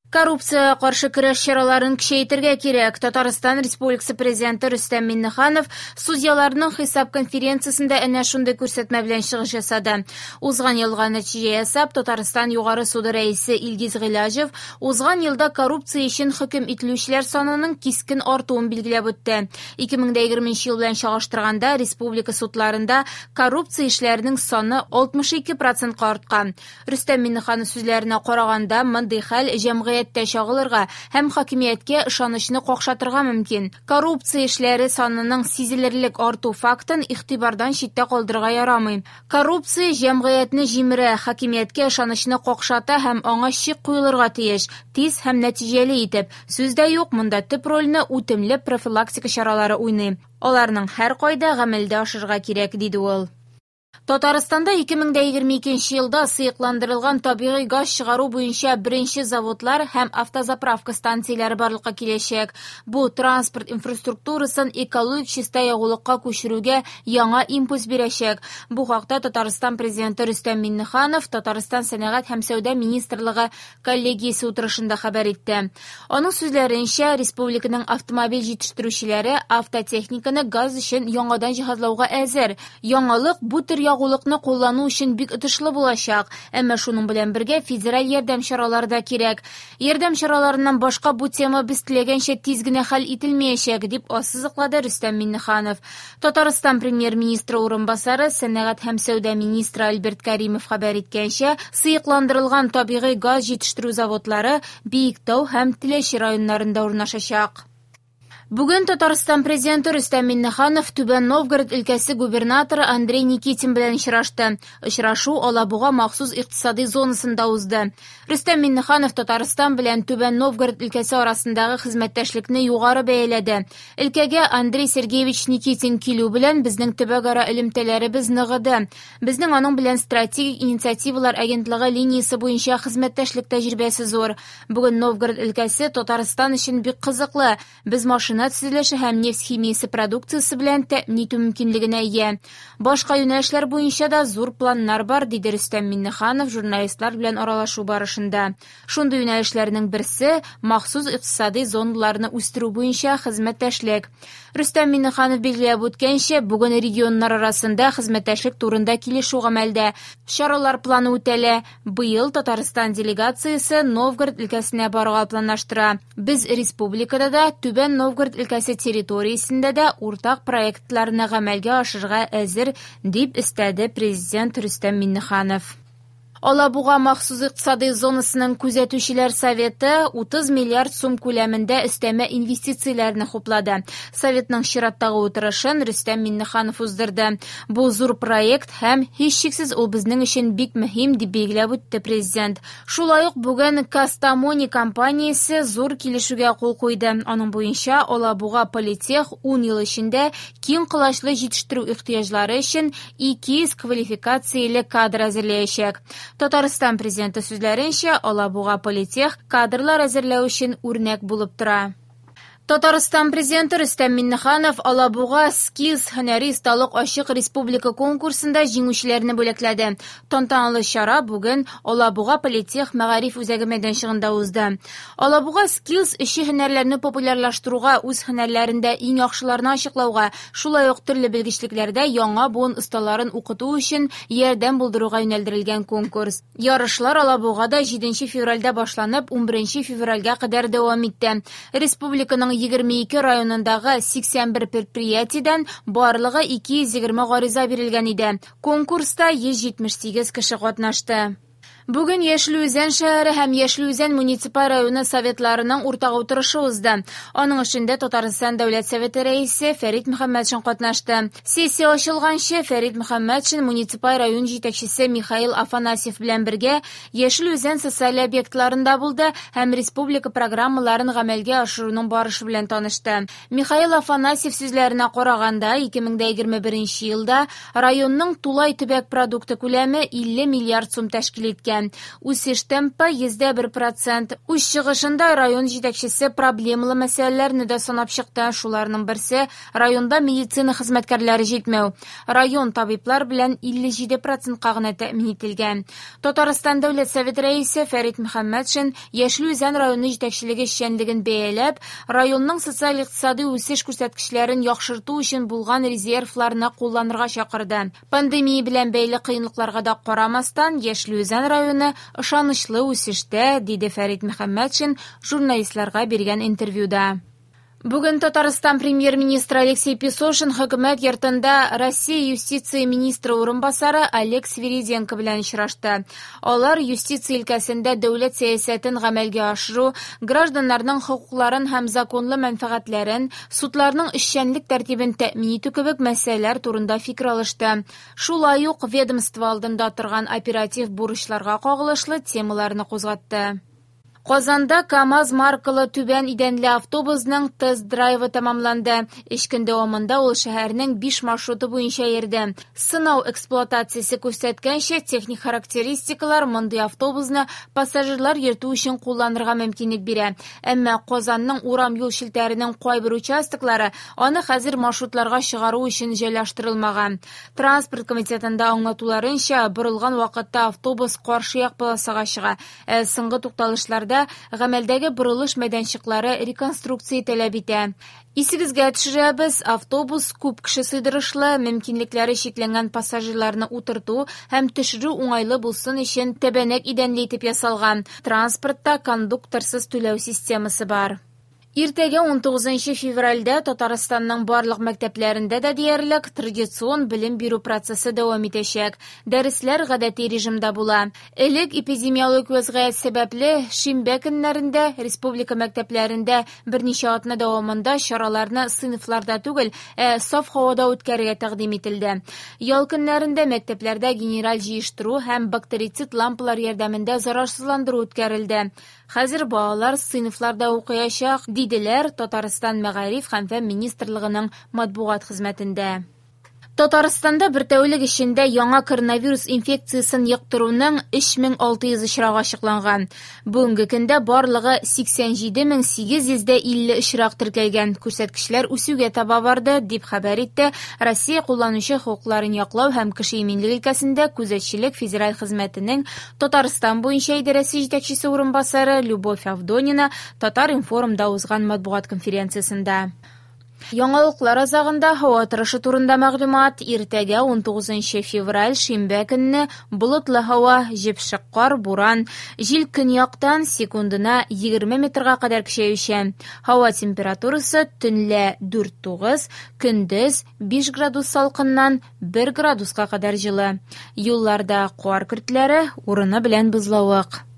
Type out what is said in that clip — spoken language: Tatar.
Коррупциягә каршы көрәш чараларын көчәйтергә кирәк. Татарстан Республикасы Президенты Рөстәм Миңнеханов судьяларның хисап конференциясендә әнә шундый күрсәтмә белән чыгыш ясады. Узган елга нәтиҗә ясап, Татарстан Югары суды рәисе Илгиз Гыйлаҗев узган елда коррупция өчен хөкем ителүчеләр санының кискен артуын билгеләп үтте. 2020 ел белән чагыштырганда республика судларында коррупция эшләренең саны 62 процентка арткан. Рөстәм Миңнеханов сүзләренә караганда, мондый хәл җәмгыятьтә чагылырга һәм хакимияткә ышанычны какшатырга мөмкин. Коррупция эшләре санының сизелерлек арту фактын игътибардан читтә калдырырга ярамый. Коррупция җәмгыятьне җимерә, хакимияткә ышанычны какшата һәм аңа чик куелырга тиеш, тиз һәм нәтиҗәле итеп. Сүз дә юк, монда төп рольне үтемле профилактика чаралары уйный. Аларның һәркайда гамәлдә ашырырга кирәк, диде ул. Татарстанда 2022 елда сыекландырылган табигый газ чыгару буенча беренче заводлар һәм автозаправка станцияләре барлыкка киләчәк. Бу транспорт инфраструктурасын экологик чиста ягулыкка күчерүгә яңа импульс бирәчәк. Бу хакта Татарстан Президенты Рөстәм Миңнеханов Татарстан Сәнәгать һәм сәүдә министрлыгы коллегиясе утырышында хәбәр итте. Аның сүзләренчә, республиканың автомобиль җитештерүчеләре автотехниканы газ өчен яңадан җиһазлауга әзер. Яңалык бу төр ягулыкны куллану өчен бик отышлы булачак, әмма шуның белән бергә федераль ярдәм чаралары да кирәк. Ярдәм чараларыннан башка бу тема без теләгәнчә тиз генә хәл ителмәячәк, дип ассызыклады Рөстәм Миңнеханов. Татарстан премьер-министры урынбасары, сәнәгать һәм сәүдә министры Альберт Каримов хәбәр иткәнчә, сыекландырылган табигый газ җитештерү заводлары Биектау һәм Теләче районнарында урнашачак. Бүген Татарстан Президенты Рөстәм Миңнеханов Түбән Новгород өлкәсе губернаторы Андрей Никитин белән очрашты. Очрашу Алабуга махсус икътисади зонасында узды. Рөстәм Миңнеханов Татарстан белән Түбән Новгород өлкәсе арасындагы хезмәттәшлекне югары бәяләде. Өлкәгә Андрей Сергеевич Никитин килү белән безнең төбәкара элемтәләребез ныгыды. Безнең аның белән стратегик инициативалар агентлыгы линиясе буенча хезмәттәшлек тәҗрибәсе зур. Бүген Новгород өлкәсе Татарстан өчен бик кызыклы. Без машина төзелеше һәм нефть химиясе продукциясе белән тәэмин итү мөмкинлегенә ия. Башка юнәлешләр буенча да зур планнар бар, диде Рөстәм Миңнеханов журналистлар белән аралашу барышында. Шундый юнәлешләрнең берсе махсус икътисади зоналарны үстерү буенча хезмәттәшлек. Рөстәм Миңнеханов билгеләп үткәнчә, бүген регионнар арасында хезмәттәшлек турында килешү гамәлдә. Чаралар планы үтәлә. Быел Татарстан делегациясе Новгород өлкәсенә барырга планлаштыра. Без республикада да, Түбән Новгород өлкәсе территориясендә дә уртак проектларны гамәлгә ашырырга әзер, дип өстәде Президент Рөстәм Миңнеханов. Алабуга махсус икътисадый зонасының күзәтүчеләр советы 30 миллиард сум күләмендә өстәмә инвестицияләрне хуплады. Советның чираттагы утырышын Рөстәм Миңнеханов уздырды. Бу зур проект һәм һичшиксез ул безнең өчен бик мөһим, дип билгеләп үтте президент. Шулай ук бүген Кастамони компаниясе зур килешүгә кул куйды. Аның буенча Алабуга Политех 10 ел эчендә киң колачлы җитештерү ихтыяҗлары өчен 200 квалификацияле кадр әзерләячәк. Татарстан президенты сүзләренчә, Алабуга Политех кадрлар әзерләү өчен үрнәк булып тора. Татарстан президенты Рөстәм Миңнеханов Алабуга Skills һөнәри осталык ачык республика конкурсында җиңүчеләрне бүләкләде. Тантаналы чара бүген Алабуга Политех мәгариф үзәге мәйданчыгында узды. Алабуга Skills эшче һөнәрләрне популярлаштыруга, үз һөнәрләрендә иң яхшыларны ачыклауга, шулай ук төрле белгечлекләрдә яңа буын осталарын укыту өчен ярдәм булдыруга юнәлдерелгән конкурс. Ярышлар Алабугада 7 февральдә башланып, 11 февральгә кадәр дәвам итте. Республиканың 22 районындагы 81 предприятиедән барлыгы 220 гариза бирелгән иде. Конкурста 178 кеше катнашты. Бүген Яшел Үзән шәһәре һәм Яшел Үзән муниципаль районы советларының уртак утырышы узды. Аның эшендә Татарстан Дәүләт Советы рәисе Фәрит Мөхәммәтшин катнашты. Сессия ачылганчы Фәрит Мөхәммәтшин муниципаль район җитәкчесе Михаил Афанасьев белән бергә Яшел Үзән социаль объектларында булды һәм республика программаларын гамәлгә ашыруның барышы белән танышты. Михаил Афанасьев сүзләренә караганда, 2021 елда районның тулай төбәк продукты күләме 50 миллиард сум тәшкил иткән. Үсеш темпы 1,1 процент. Үз чыгышында район җитәкчесе проблемалы мәсьәләләрне дә санап чыкты. Шуларның берсе районда медицина хезмәткәрләре җитмәү. Район табиблар белән 57 процентка гына тәэмин ителгән. Татарстан Дәүләт Советы рәисе Фәрит Мөхәммәтшин Яшел Үзән районы җитәкчелеге эшчәнлеген бәяләп, районның социаль-икътисади үсеш күрсәткечләрен яхшырту өчен булган резервларны кулланырга чакырды. Пандемия белән бәйле кыенлыкларга да карамастан, Яшел Үзән районы ышанычлы үсештә, диде Фәрит Мөхәммәтшин журналистларга биргән интервьюда. Бүген Татарстан премьер-министры Алексей Песошин хөкүмәт йортында Россия юстиция министры урынбасары Олег Свириденко белән очрашты. Алар юстиция өлкәсендә дәүләт сәясәтен гамәлгә ашыру, гражданнарның хокукларын һәм законлы мәнфәгатьләрен, судларның эшчәнлек тәртибен тәэмин итү кебек мәсьәләләр турында фикер алышты. Шулай ук ведомство алдында торган оператив бурычларга кагылышлы темаларны кузгатты. Казанда КАМАЗ маркалы түбән идәнле автобусның тест-драйвы тәмамланды. Өч көн дәвамында ул шәһәрнең 5 маршруты буенча йөрде. Сынау эксплуатациясе күрсәткәнчә, техник характеристикалар мондый автобусны пассажирлар йөртү өчен кулланырга мөмкинлек бирә. Әмма Казанның урам юл челтәренең кайбер участоклары аны хәзер маршрутларга чыгару өчен җайлаштырылмаган. Транспорт комитетында аңлатуларынча, борылган вакытта автобус каршы як полосага чыга. Ә соңгы тукталышларда гамәлдәге борылыш мәйданчыклары реконструкция таләп итә. Исегезгә төшерәбез, автобус күп кеше сыйдырышлы, мөмкинлекләре чикләнгән пассажирларны утырту һәм төшерү уңайлы булсын өчен тәбәнәк идәнле итеп ясалган. Транспортта кондукторсыз түләү системасы бар. Иртәгә 19 февральдә Татарстанның барлык мәктәпләрендә дә диярлек традицион белем бирү процессы дәвам итәчәк. Дәресләр гадәти режимда була. Элек эпидемиологик вәзгыять сәбәпле шимбә көннәрендә республика мәктәпләрендә берничә атна дәвамында чараларны сыйныфларда түгел, ә саф һавада үткәрергә тәкъдим ителде. Ял көннәрендә мәктәпләрдә генераль җыештыру һәм бактерицид лампалар ярдәмендә зарарсызландыру үткәрелде. Хәзер балалар сыйныфларда укыячак, диделәр Татарстан Мәгариф һәм фән министрлыгының матбугат хезмәтендә. Татарстанда бер тәүлек эчендә яңа коронавирус инфекциясен йоктыруның 3600 очрагы ачыкланган. Бүгенге көндә барлыгы 87850 очрак теркәлгән. Күрсәткечләр үсүгә таба барды, дип хәбәр итте Россия кулланучы хокукларын яклау һәм кеше иминлеге өлкәсендә күзәтчелек федераль хезмәтенең Татарстан буенча идарәсе җитәкчесе урынбасары Любовь Авдонина Татар-информда узган матбугат конференциясендә. Яңалыклар азагында һава торышы турында мәгълүмат. Иртәгә 19 февраль шимбә көнне болытлы һава, җепшек кар, буран, җил көньяктан секундына 20 метрга кадәр көчәючән. Һава температурасы төнлә 4-9, көндез 5 градус салкыннан 1 градуска кадәр җылы. Юлларда кар көртләре, урыны белән бозлавык.